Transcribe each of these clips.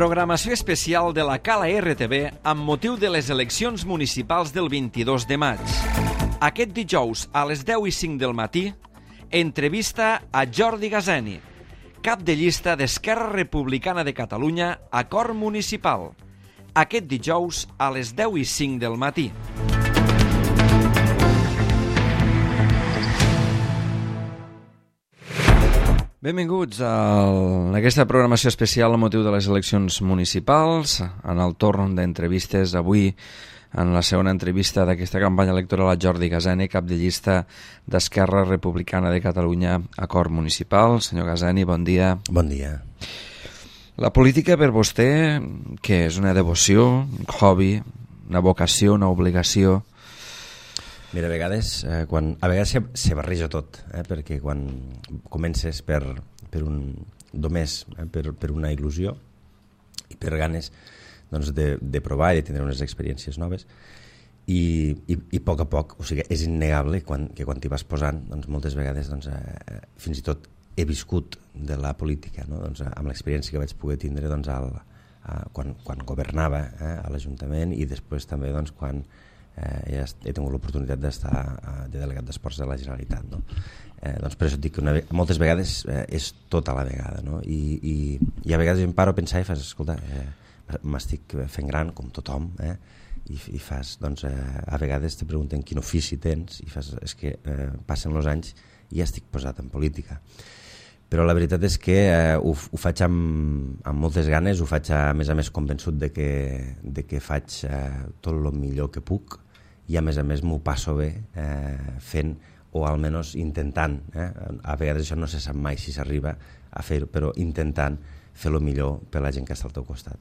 Programació especial de la Cala RTV amb motiu de les eleccions municipals del 22 de maig. Aquest dijous a les 10:05 del matí, entrevista a Jordi Gazeni, cap de llista d'Esquerra Republicana de Catalunya a Cor Municipal. Aquest dijous a les 10:05 del matí. Benvinguts a aquesta programació especial amb motiu de les eleccions municipals, en el torn d'entrevistes. Avui, en la segona entrevista d'aquesta campanya electoral, a Jordi Gazeni, cap de llista d'Esquerra Republicana de Catalunya a Cor Municipal. Senyor Gazeni, bon dia. Bon dia. La política per vostè, què és? Una devoció, un hobby, una vocació, una obligació? Mira, a vegades se barreja tot, perquè quan comences per una il·lusió i per ganes doncs, de provar i de tindre unes experiències noves i a poc, o sigui, és innegable que quan t'hi vas posant, doncs, moltes vegades doncs, fins i tot he viscut de la política, no? Doncs, amb l'experiència que vaig poder tindre doncs, quan governava a l'Ajuntament i després també doncs, quan he tingut l'oportunitat d'estar de delegat d'esports de la Generalitat, no? Doncs per això et dic que moltes vegades és tot a la vegada, no? I a vegades em paro a pensar i fas, escolta, m'estic fent gran com tothom, i fas, doncs, a vegades te pregunten quin ofici tens i fas, és que passen els anys i ja estic posat en política. Però la veritat és que ho faig amb moltes ganes, ho faig a més convençut de que faig tot el millor que puc i a més m'ho passo bé fent o almenys intentant, a vegades això no se sap mai si s'arriba a fer-ho, però intentant fer el millor per la gent que està al teu costat.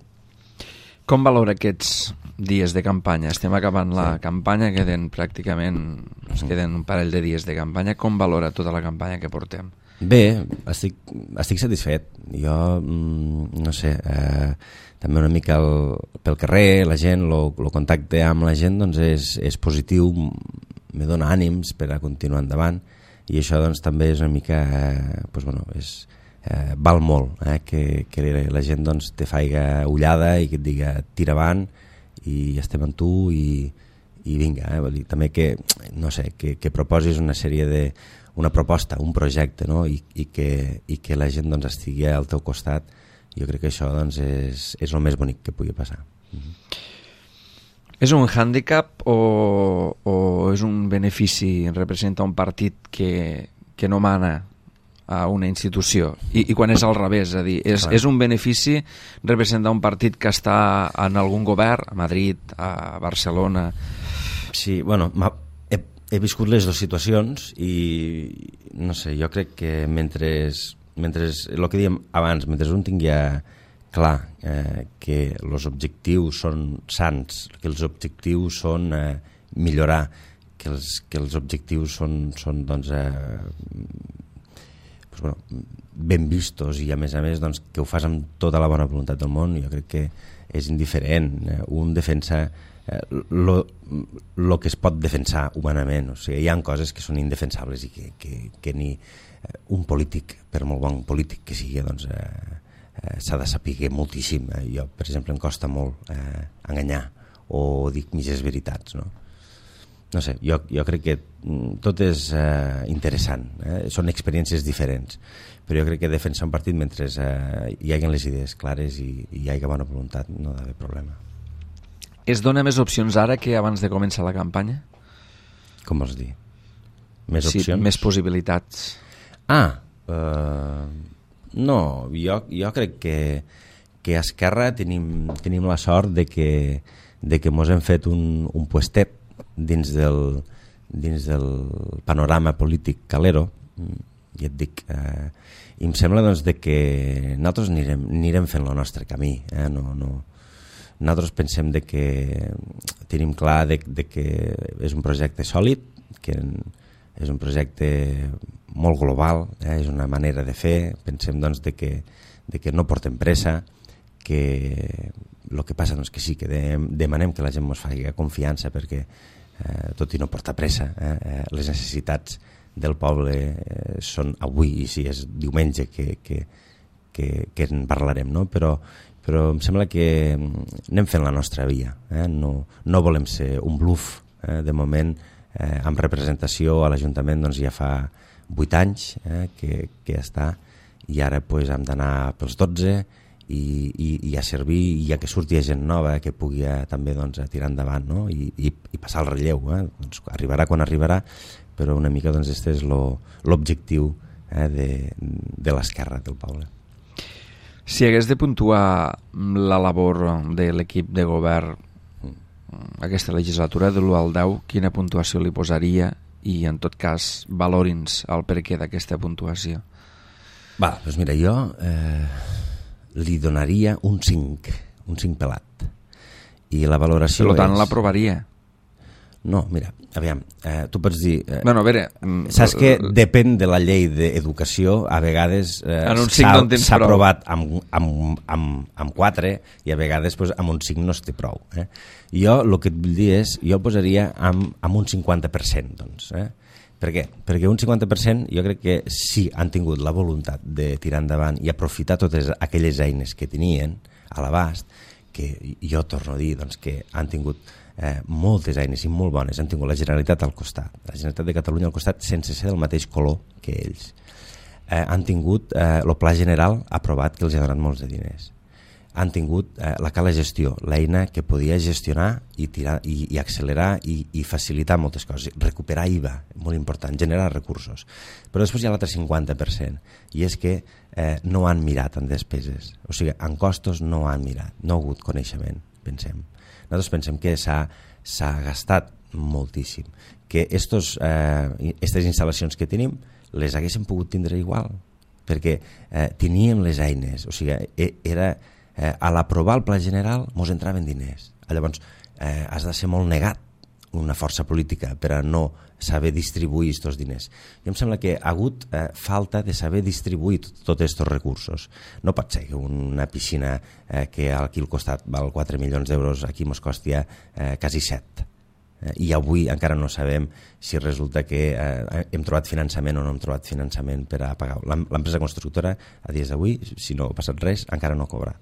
Com valora aquests dies de campanya? Estem acabant la campanya, queden un parell de dies de campanya. Com valora tota la campanya que portem? Bé, estic satisfet. Jo, no sé, també una mica pel carrer, la gent, el contacte amb la gent doncs és positiu, me dona ànims per a continuar endavant i això doncs també és una mica, val molt que la gent doncs te faiga ullada i que et diga tira avant i estem amb tu i vinga, vol dir, també que, no sé, que proposis una proposta, un projecte, no? I que la gent doncs, estigui al teu costat. Jo crec que això doncs, és el més bonic que pugui passar. És un hàndicap o és un benefici? Representa un partit que no mana a una institució? I quan és al revés, és a dir, és un benefici representar un partit que està en algun govern, a Madrid, a Barcelona? Sí, bueno, he viscut les dues situacions i no sé, jo crec que mentre el que dèiem abans, mentre un tingui clar que els objectius són sants, que els objectius són millorar, que els objectius són doncs, ben vistos i a més doncs, que ho fas amb tota la bona voluntat del món, jo crec que és indiferent. Un defensa el que es pot defensar humanament, o sigui, hi ha coses que són indefensables i que ni un polític, per molt bon polític que sigui, doncs s'ha de saber moltíssim. Jo, per exemple, em costa molt enganyar o dir mitges veritats, no? No sé, jo crec que tot és interessant, són experiències diferents, però jo crec que defensar un partit mentre hi hagi les idees clares i hi hagi bona voluntat no ha d'haver problema. Es dona més opcions ara que abans de començar la campanya? Com vols dir? Més opcions? Sí, més possibilitats. No, jo crec que a Esquerra tenim la sort de que mos hem fet un puestet dins del panorama polític calero, i et dic, i em sembla doncs, que nosaltres anirem fent el nostre camí, nosaltres pensem que tenim clar que és un projecte sòlid, que és un projecte molt global, és una manera de fer, pensem doncs, que no portem pressa, que el que passa doncs, que sí, que demanem que la gent ens faci confiança perquè tot i no portar pressa, les necessitats del poble són avui, i si és diumenge que en parlarem, no? Però però em sembla que anem fent la nostra via. No volem ser un bluff. De moment, amb representació a l'Ajuntament ja fa 8 anys que està, i ara hem d'anar pels 12 i a servir, i a que surti gent nova que pugui també tirar endavant, no? I passar el relleu. Arribarà quan arribarà, però una mica aquest és l'objectiu de l'esquerra del poble. Si hagués de puntuar la labor de l'equip de govern aquesta legislatura de l'1 al 10, quina puntuació li posaria, i en tot cas valori'ns el perquè d'aquesta puntuació? Doncs mira, jo li donaria un 5 pelat, i la valoració per tant l'aprovaria? No, mira, aviam, tu pots dir... Bueno, a veure... Saps que depèn de la llei d'educació, a vegades s'ha aprovat amb 4 i a vegades amb un 5 no es té prou. Jo el que et vull dir és, jo el posaria amb un 50%, doncs. Per què? Perquè un 50% jo crec que sí han tingut la voluntat de tirar endavant i aprofitar totes aquelles eines que tenien a l'abast, que jo torno a dir que han tingut moltes eines i molt bones. Han tingut la Generalitat al costat, la Generalitat de Catalunya al costat, sense ser del mateix color que ells. Han tingut el Pla General aprovat, que els ha donat molts de diners. Han tingut la Cala Gestió, l'eina que podia gestionar i tirar i accelerar i facilitar moltes coses. Recuperar IVA, molt important, generar recursos. Però després hi ha l'altre 50%, i és que no han mirat en despeses. O sigui, en costos no han mirat, no ha hagut coneixement, pensem. Nosaltres pensem que s'ha gastat moltíssim, que aquestes instal·lacions que tenim les haguéssim pogut tindre igual, perquè teníem les eines. O sigui, a l'aprovar el Pla General mos entraven diners. Llavors has de ser molt negat, una força política, per a no saber distribuir aquests diners. I em sembla que ha hagut falta de saber distribuir tots aquests recursos. No pot ser que una piscina que aquí al costat val 4 milions d'euros, aquí ens costi quasi 7. I avui encara no sabem si resulta que hem trobat finançament o no hem trobat finançament per a pagar. L'empresa constructora, a dies d'avui, si no ha passat res, encara no cobra.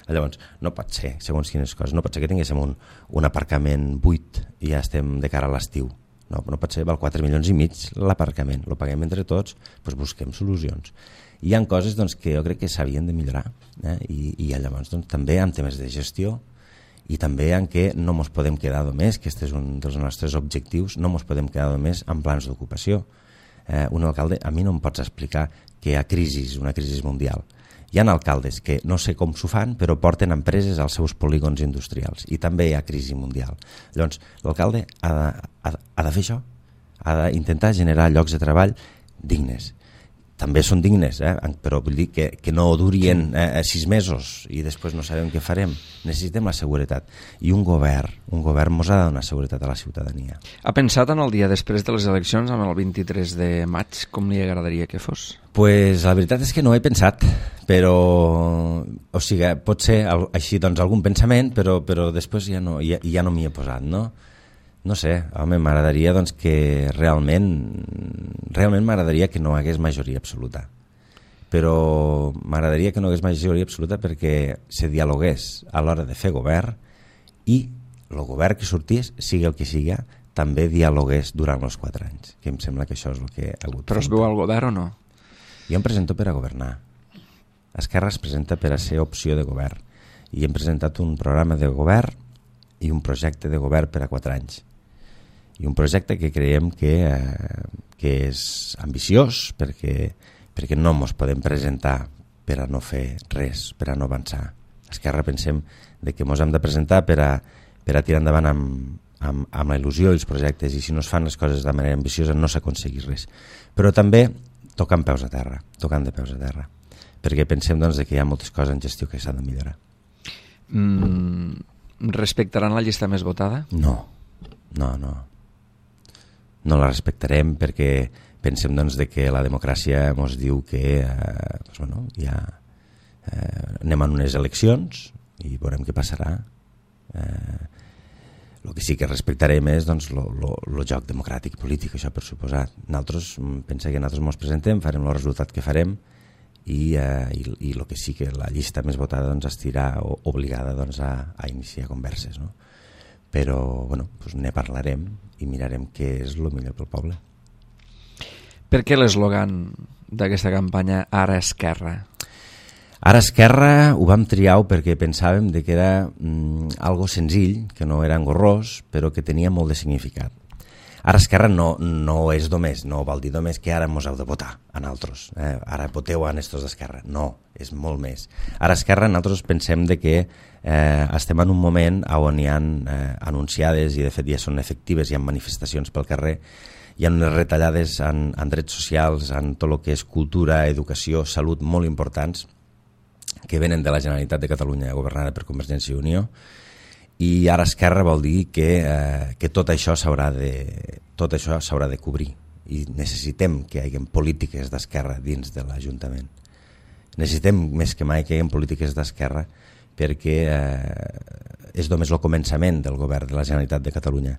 Llavors, no pot ser, segons quines coses, no pot ser que tinguéssim un aparcament buit i ja estem de cara a l'estiu. No pot ser, val 4 milions i mig l'aparcament, lo paguem entre tots, doncs busquem solucions. Hi ha coses que jo crec que s'havien de millorar, i llavors també en temes de gestió, i també en què no ens podem quedar només, que aquest és un dels nostres objectius, no ens podem quedar només en plans d'ocupació. Un alcalde, a mi no em pots explicar que hi ha una crisi mundial. Hi ha alcaldes que no sé com s'ho fan, però porten empreses als seus polígons industrials, i també hi ha crisi mundial. Llavors, l'alcalde ha de fer això, ha d'intentar generar llocs de treball dignes. També són dignes, però vull dir que no durien 6 mesos i després no sabem què farem. Necessitem la seguretat. I un govern ens ha de donar seguretat a la ciutadania. Ha pensat en el dia després de les eleccions, amb el 23 de maig, com li agradaria que fos? Pues la veritat és que no he pensat, però o sigui, pot ser així algun pensament, però després ja no m'hi he posat, no? No sé, home, m'agradaria que realment m'agradaria que no hagués majoria absoluta. Però m'agradaria que no hagués majoria absoluta perquè se dialogués a l'hora de fer govern, i el govern que sortís, sigui el que sigui, també dialogués durant els 4 anys, que em sembla que això és el que ha hagut. Però es veu al govern o no? Jo em presento per a governar. Esquerra es presenta per a ser opció de govern, i hem presentat un programa de govern i un projecte de govern per a 4 anys. I un projecte que creiem que és ambiciós, perquè no ens podem presentar per a no fer res, per a no avançar. Esquerra pensem que ens hem de presentar per a tirar endavant amb la il·lusió i els projectes, i si no es fan les coses de manera ambiciosa no s'aconsegueix res. Però també tocant de peus a terra, perquè pensem que hi ha moltes coses en gestió que s'han de millorar. Respectaran la llista més votada? No la respectarem, perquè pensem que la democràcia ens diu que anem a unes eleccions i veurem què passarà. El que sí que respectarem és el joc democràtic i polític, això per suposat. Nosaltres pensem que nosaltres ens presentem, farem el resultat que farem, i el que sí que la llista més votada doncs, estirà obligada doncs, a iniciar converses, no? Però bueno, doncs ne parlarem i mirarem què és el millor pel poble. Per què l'eslògan d'aquesta campanya Ara Esquerra? Ara Esquerra ho vam triar perquè pensàvem que era algo senzill, que no era engorrós, però que tenia molt de significat. Ara Esquerra no és només, no vol dir només que ara mos heu de votar a nosaltres, ara voteu a estos d'Esquerra, no, és molt més. Ara Esquerra nosaltres pensem que estem en un moment on hi ha anunciades i de fet ja són efectives, hi ha manifestacions pel carrer, hi ha unes retallades en drets socials, en tot el que és cultura, educació, salut molt importants que venen de la Generalitat de Catalunya governada per Convergència i Unió. I ara Esquerra vol dir que tot això s'haurà de cobrir i necessitem que hi hagi polítiques d'esquerra dins de l'Ajuntament. Necessitem més que mai que hi hagi polítiques d'esquerra perquè és només el començament del govern de la Generalitat de Catalunya.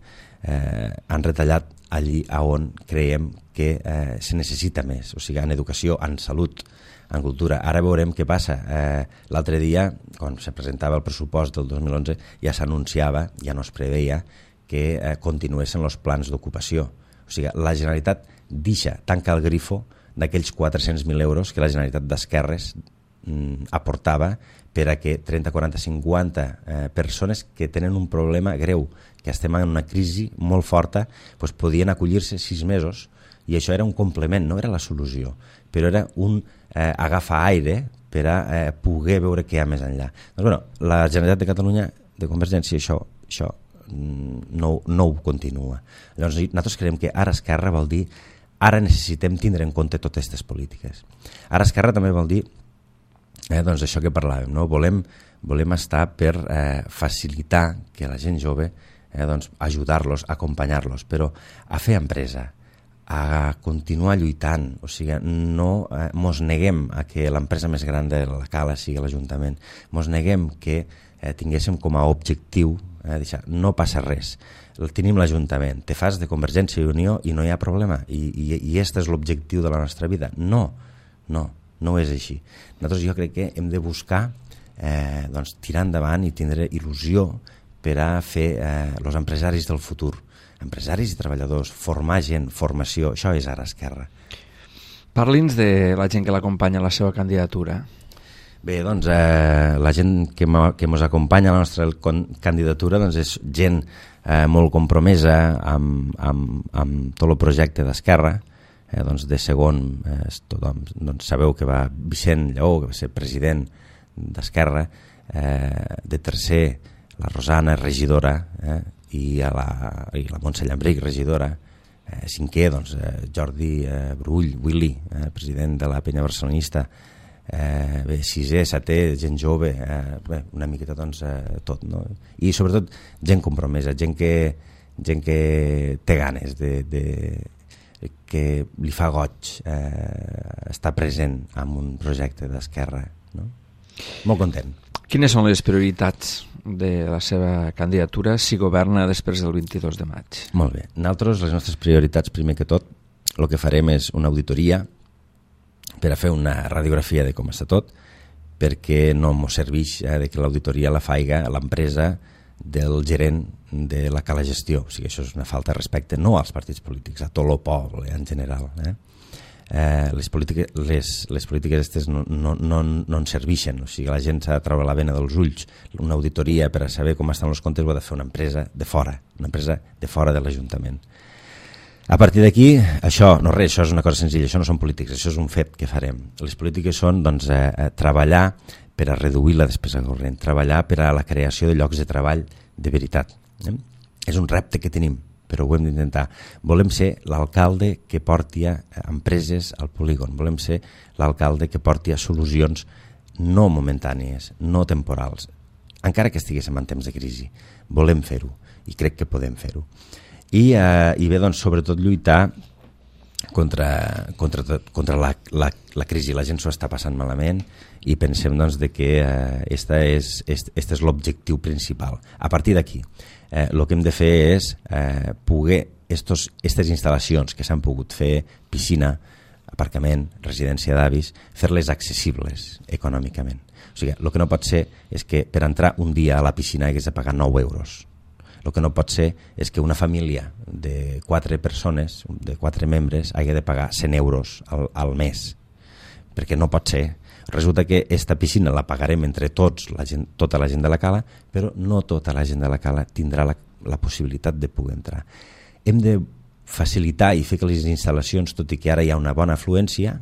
Han retallat allí on creiem que se necessita més, o sigui, en educació, en salut, en cultura. Ara veurem què passa. L'altre dia, quan se presentava el pressupost del 2011, ja s'anunciava, ja no es preveia, que continuessin els plans d'ocupació. O sigui, la Generalitat tanca el grifo d'aquells 400.000 euros que la Generalitat d'Esquerres aportava per a que 30, 40, 50 persones que tenen un problema greu, que estem en una crisi molt forta, doncs podien acollir-se 6 mesos i això era un complement, no era la solució, però era un agafar aire per a poder veure què hi ha més enllà. Doncs, bueno, la Generalitat de Catalunya de Convergència això no ho continua. Llavors nosaltres creiem que ara Esquerra vol dir ara necessitem tindre en compte totes aquestes polítiques. Ara Esquerra també vol dir doncs això que parlàvem, no? Volem estar per facilitar que la gent jove doncs ajudar-los, acompanyar-los, però a fer empresa, a continuar lluitant, o sigui, no mos neguem a que l'empresa més gran de la Cala sigui l'Ajuntament, mos neguem que tinguéssim com a objectiu deixar, no passa res, tenim l'Ajuntament, te fas de Convergència i Unió i no hi ha problema, i este és l'objectiu de la nostra vida. No és així. Nosaltres jo crec que hem de buscar doncs, tirar endavant i tindre il·lusió per a fer els empresaris del futur, empresaris i treballadors, formar gent, formació, això és ara Esquerra. Parli'ns de la gent que l'acompanya a la seva candidatura. Bé, doncs la gent que ens acompanya a la nostra candidatura doncs, és gent molt compromesa amb tot el projecte d'Esquerra. Doncs de segon, tothom sabeu que va Vicent Lleó, que va ser president d'Esquerra, de tercer la Rosana, regidora, i la Montse Llambric, regidora, cinquè, doncs, Jordi Brull, Willy, president de la Penya Barcelonista, sisè, setè, gent jove, una miqueta doncs, tot, no? I sobretot gent compromesa, gent que té ganes que li fa goig estar present en un projecte d'Esquerra, no? Molt content. Quines són les prioritats de la seva candidatura si governa després del 22 de maig? Molt bé. Nosaltres, les nostres prioritats, primer que tot, el que farem és una auditoria per a fer una radiografia de com està tot, perquè no ens serveix que l'auditoria la faiga l'empresa del gerent de la Cala Gestió. O sigui, això és una falta de respecte no als partits polítics, a tot el poble en general. Les polítiques aquestes no ens serveixen, o sigui, la gent s'ha de treure la vena dels ulls. Una auditoria per a saber com estan els comptes ho ha de fer una empresa de fora, de l'Ajuntament. A partir d'aquí, això és una cosa senzilla, això no són polítiques, això és un fet que farem. Les polítiques són doncs, treballar per a reduir la despesa corrent, treballar per a la creació de llocs de treball de veritat. És un repte que tenim, però ho hem d'intentar. Volem ser l'alcalde que porti empreses al polígon, volem ser l'alcalde que porti solucions no momentànies, no temporals, encara que estiguéssim en temps de crisi. Volem fer-ho i crec que podem fer-ho. I bé, doncs, sobretot lluitar contra la crisi. La gent s'ho està passant malament i pensem doncs, que este és l'objectiu principal. A partir d'aquí, el que hem de fer és poder aquestes instal·lacions que s'han pogut fer, piscina, aparcament, residència d'avis, fer-les accessibles econòmicament. O sigui, el que no pot ser és que per entrar un dia a la piscina hagués de pagar 9 euros. El que no pot ser és que una família de 4 persones, de 4 membres, hagi de pagar 100 euros al mes, perquè no pot ser. Resulta que aquesta piscina la pagarem entre tots, tota la gent de la cala, però no tota la gent de la cala tindrà la possibilitat de poder entrar. Hem de facilitar i fer que les instal·lacions, tot i que ara hi ha una bona afluència,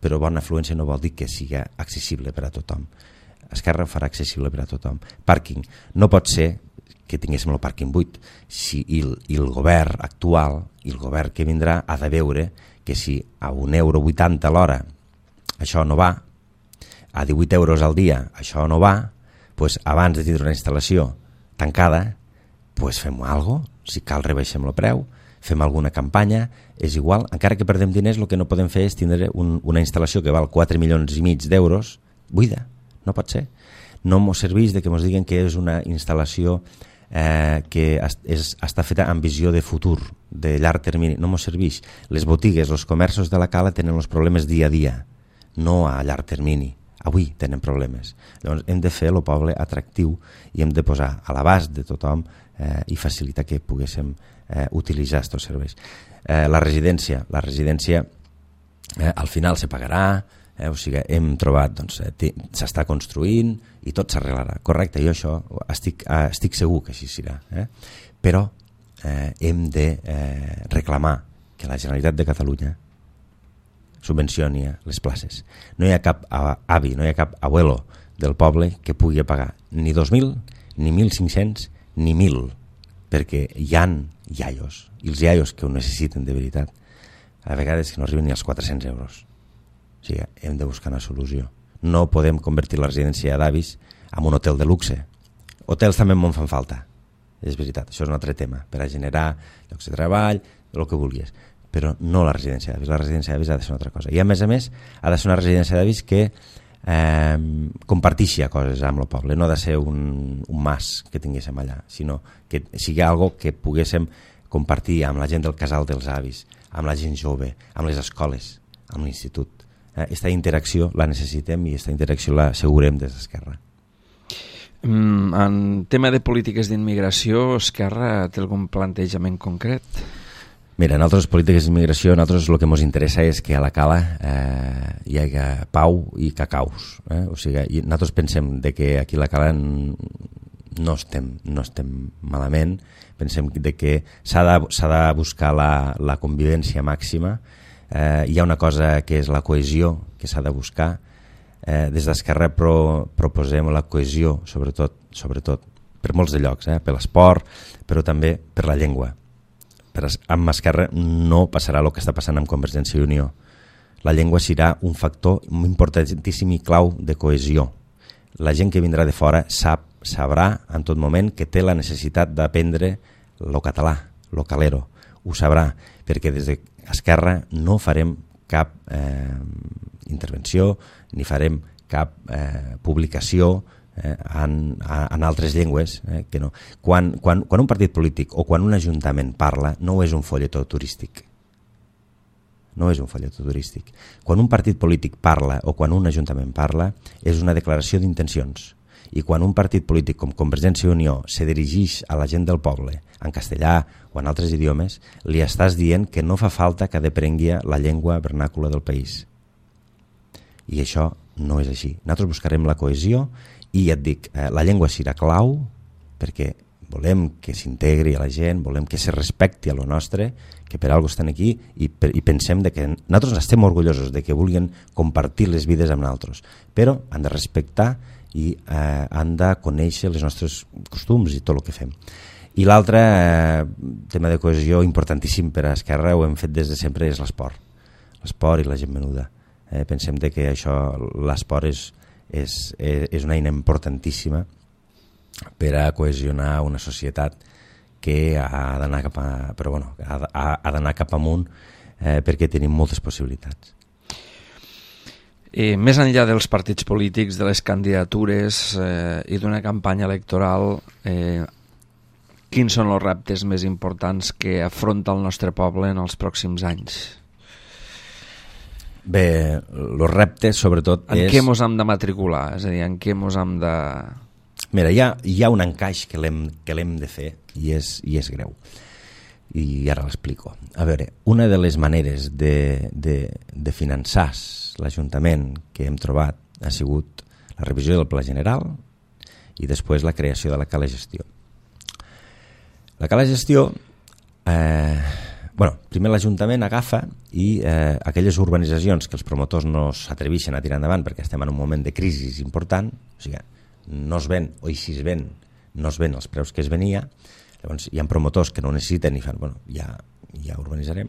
però bona afluència no vol dir que sigui accessible per a tothom. Esquerra ho farà accessible per a tothom. Pàrquing. No pot ser que tinguéssim el pàrquing buit. I el govern actual i el govern que vindrà ha de veure que si a €1,80 l'hora això no va, a 18 euros al dia això no va, doncs abans de tindre una instal·lació tancada, doncs fem alguna cosa, si cal rebaixem el preu, fem alguna campanya, és igual, encara que perdem diners, el que no podem fer és tindre una instal·lació que val 4,5 milions d'euros buida, no pot ser. No ens serveix de que ens diguen que és una instal·lació que està feta amb visió de futur, de llarg termini, no ens serveix. Les botigues, els comerços de la cala tenen els problemes dia a dia, no a llarg termini. Avui tenen problemes. Llavors hem de fer el poble atractiu i hem de posar a l'abast de tothom i facilitar que poguéssim utilitzar aquests serveis. La residència al final se pagarà, o sigui, hem trobat, doncs, s'està construint i tot s'arreglarà. Correcte, jo això estic segur que així serà. Però hem de reclamar que la Generalitat de Catalunya subvencioni les places. No hi ha cap avi, no hi ha cap abuelo del poble que pugui pagar ni 2.000, ni 1.500, ni 1.000, perquè hi ha iaios, i els iaios que ho necessiten de veritat, a vegades que no arriben ni als 400 euros. O sigui, hem de buscar una solució. No podem convertir la residència d'avis en un hotel de luxe. Hotels també en fan falta, és veritat, això és un altre tema, per a generar llocs de treball, el que vulguis, però no la residència d'avis. La residència d'avis ha de ser una altra cosa. I a més, ha de ser una residència d'avis que comparteixi coses amb el poble. No ha de ser un mas que tinguéssim allà, sinó que sigui algo que poguéssim compartir amb la gent del casal dels avis, amb la gent jove, amb les escoles, amb l'institut. Aquesta interacció la necessitem i aquesta interacció la assegurem des d'Esquerra. En tema de polítiques d'immigració, Esquerra té algun plantejament concret? Mira, en altres polítiques d'immigració, nosaltres el que ens interessa és que a la cala hi hagi pau i cacaus. O sigui, nosaltres pensem de que aquí a la cala no estem malament, pensem de que s'ha de buscar la convivència màxima. Hi ha una cosa que és la cohesió que s'ha de buscar. Des d'Esquerra proposem la cohesió, sobretot per molts de llocs, per l'esport, però també per la llengua. Amb Esquerra no passarà el que està passant amb Convergència i Unió. La llengua serà un factor importantíssim i clau de cohesió. La gent que vindrà de fora sabrà en tot moment que té la necessitat d'aprendre el català, el calero. Ho sabrà, perquè des d'Esquerra no farem cap intervenció ni farem cap publicació en altres llengües, que no. Quan un partit polític o quan un ajuntament parla, no és un folletó turístic. No és un folletó turístic. Quan un partit polític parla o quan un ajuntament parla, és una declaració d'intencions. I quan un partit polític com Convergència i Unió se dirigeix a la gent del poble en castellà o en altres idiomes, li estàs dient que no fa falta que aprengui la llengua vernàcula del país. I això no és així. Nosaltres buscarem la cohesió i ja et dic, la llengua serà clau perquè volem que s'integri a la gent, volem que se respecti a lo nostre, que per alguna cosa estan aquí i pensem que nosaltres estem orgullosos de que vulguin compartir les vides amb nosaltres, però han de respectar i han de conèixer els nostres costums i tot el que fem. I l'altre tema de cohesió importantíssim per a Esquerra, ho hem fet des de sempre, és l'esport i la gent menuda. Pensem que l'esport és una eina importantíssima per a cohesionar una societat que ha d'anar cap amunt perquè tenim moltes possibilitats. Més enllà dels partits polítics, de les candidatures i d'una campanya electoral, quins són els reptes més importants que afronta el nostre poble en els pròxims anys? Bé, el repte, sobretot, en què mos hem de matricular? És a dir, en què mos hem de... Mira, hi ha un encaix que l'hem de fer i és greu. I ara l'explico. A veure, una de les maneres de finançar l'Ajuntament que hem trobat ha sigut la revisió del Pla General i després la creació de la Cala Gestió. La Cala Gestió... primer l'Ajuntament agafa i aquelles urbanitzacions que els promotors no s'atreveixen a tirar endavant perquè estem en un moment de crisi important, o sigui, no es ven, o si es ven, no es ven els preus que es venia, llavors hi ha promotors que no necessiten i fan, ja urbanitzarem.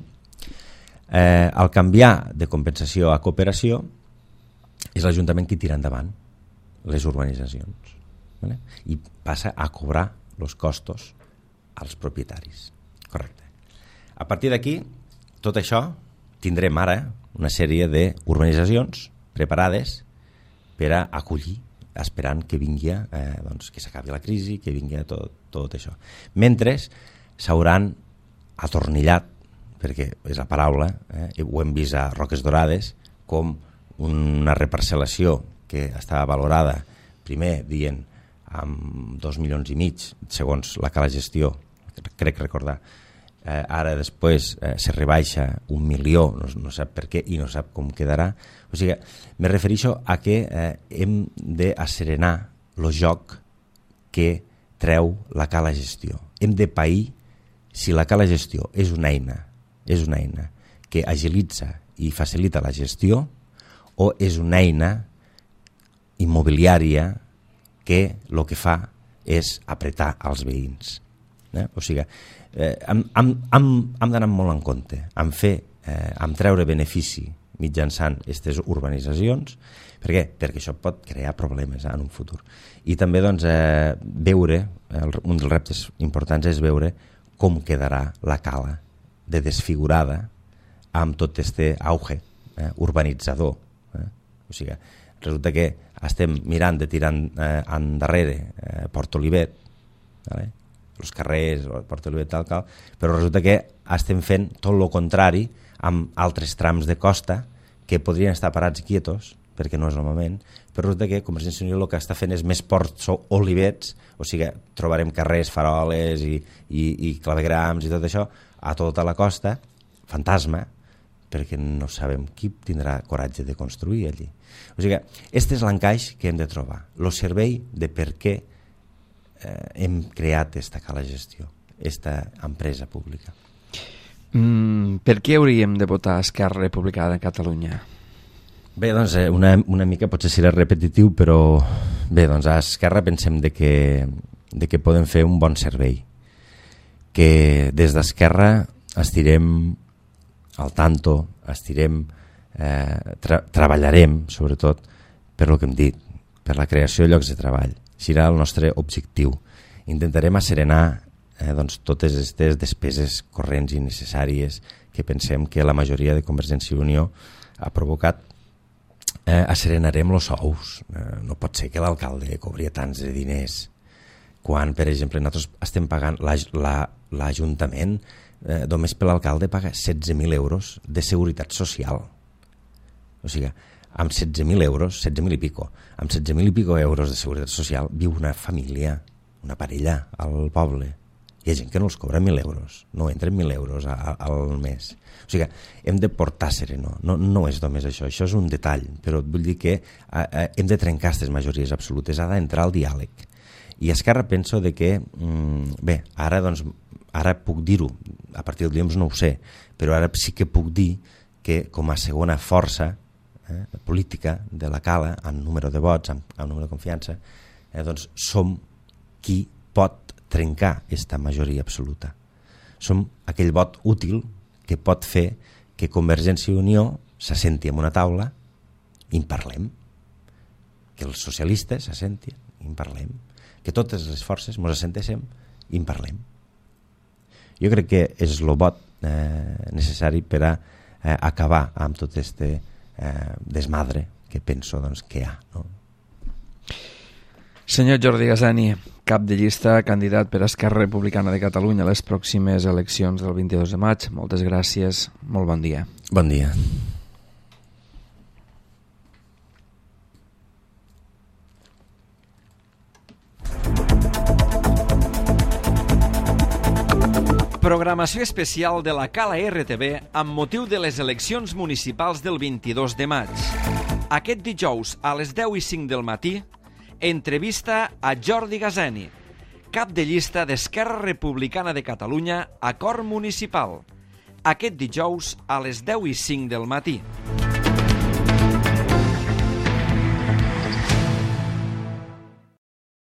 Al canviar de compensació a cooperació és l'Ajuntament qui tira endavant les urbanitzacions, ¿vale? I passa a cobrar els costos als propietaris. Correcte. A partir d'aquí, tot això, tindrem ara una sèrie d'urbanitzacions preparades per a acollir, esperant que vingui, que s'acabi la crisi, que vingui tot això. Mentre s'hauran atornillat, perquè és la paraula, ho hem vist a Roques Dorades, com una reparcel·lació que estava valorada, primer dient amb 2,5 milions, segons la Cala Gestió, crec recordar, ara després se rebaixa 1 milió, no sap per què i no sap com quedarà. O sigui, me refereixo a que hem d'asserenar el joc que treu la Cala Gestió. Hem de pair si la Cala Gestió és una eina que agilitza i facilita la gestió o és una eina immobiliària que el que fa és apretar els veïns. O sigui, hem d'anar molt en compte en treure benefici mitjançant aquestes urbanitzacions. Per què? Perquè això pot crear problemes en un futur. I també veure, un dels reptes importants és veure com quedarà la cala de desfigurada amb tot este auge urbanitzador. O sigui, resulta que estem mirant de tirar endarrere Port Olivet, els carrers, Port Olivet, tal, però resulta que estem fent tot el contrari amb altres trams de costa que podrien estar parats quietos, perquè no és el moment, però resulta que Convergència i Unió el que està fent és més Ports Olivets, o sigui, trobarem carrers, faroles i clavegrams i tot això a tota la costa, fantasma, perquè no sabem qui tindrà coratge de construir allí. O sigui, aquest és l'encaix que hem de trobar, el servei de per què hem creat aquesta Cala Gestió, aquesta empresa pública. Per què hauríem de votar Esquerra Republicana de Catalunya? Bé, doncs una mica potser serà repetitiu, però bé, doncs a Esquerra pensem de que podem fer un bon servei, que des d'Esquerra estirem al tanto, treballarem sobretot per el que hem dit, per la creació de llocs de treball. Serà el nostre objectiu. Intentarem asserenar totes aquestes despeses corrents i necessàries que pensem que la majoria de Convergència i Unió ha provocat. Asserenarem els sous. No pot ser que l'alcalde cobria tants de diners quan, per exemple, nosaltres estem pagant l'Ajuntament, només per l'alcalde paga 16.000 euros de seguretat social. O sigui, amb 16.000 euros, 16.000 i pico, amb 16.000 i pico euros de seguretat social viu una família, una parella al poble. Hi ha gent que no els cobra 1.000 euros, no entren 1.000 euros al mes. O sigui, hem de portar sereno, no és només això és un detall, però vull dir que hem de trencar aquestes majories absolutes, ha d'entrar al diàleg. I a Esquerra penso de que, bé, ara puc dir-ho, a partir del dilluns no ho sé, però ara sí que puc dir que com a segona força política de la Cala, en número de vots, en número de confiança, doncs som qui pot trencar aquesta majoria absoluta. Som aquell vot útil que pot fer que Convergència i Unió s'assenti en una taula i en parlem, que els socialistes s'assentin i en parlem, que totes les forces ens assentéssim i en parlem. Jo crec que és el vot necessari per a acabar amb tot este desmadre que penso que hi ha. No? Senyor Jordi Gasani, cap de llista, candidat per Esquerra Republicana de Catalunya a les pròximes eleccions del 22 de maig. Moltes gràcies, molt bon dia. Bon dia. Programació especial de la Cala RTV amb motiu de les eleccions municipals del 22 de maig. Aquest dijous a les 10:05 del matí, entrevista a Jordi Gazeni, cap de llista d'Esquerra Republicana de Catalunya a Cort Municipal. Aquest dijous a les 10:05 del matí.